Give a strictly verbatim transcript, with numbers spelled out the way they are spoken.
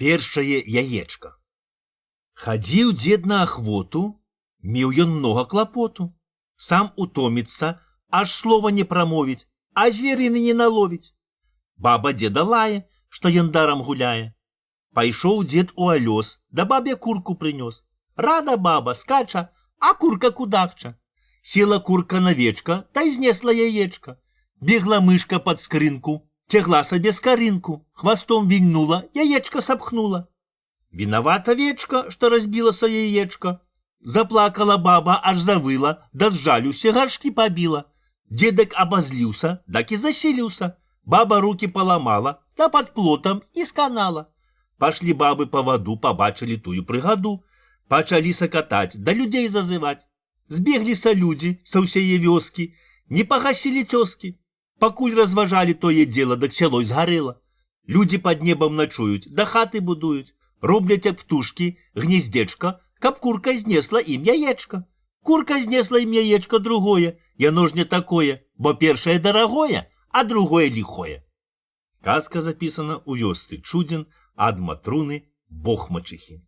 Першае яечко. Хадзіў дзед на ахвоту, меў ён многа клапоту. Сам утоміцца, аж слова не прамовіць, а зверыны не наловіць. Баба дзеда лае, што ён дарам гуляе. Пайшоў дзед у алёс, да бабе курку прынёс. Рада баба, скача, а курка кудахча. Села курка на вечка, та й знесла яечка. Бегла мышка пад скрынку, цягла сабе скарынку, хвастом вільнула, яечка сапхнула. Вінавата вечка, што разбілася яечка. Заплакала баба, аж завыла, да з жалюся гаршкі пабіла. Дзедак абазліўся, так і заселіўся. Баба руки паламала, да пад плотам і сканала. Пашлі бабы па ваду, пабачылі тую прыгаду. Пачалі сакатаць, да людзей зазываць. Збегліся людзі са ўсяе вёскі, не пагасілі цёскі. Пакуль разважалі тое дзела, дык сяло згарэла. Людзі пад небам начуюць, да хаты будуюць. Робляць ад птушкі гнездзечка, каб курка знесла ім яечка. Курка знесла ім яечка другое, яно ж не такое, бо першае дарагое, а другое ліхое. Казка запісана ў вёсцы Чудзін ад Матруны Бохмачыхі.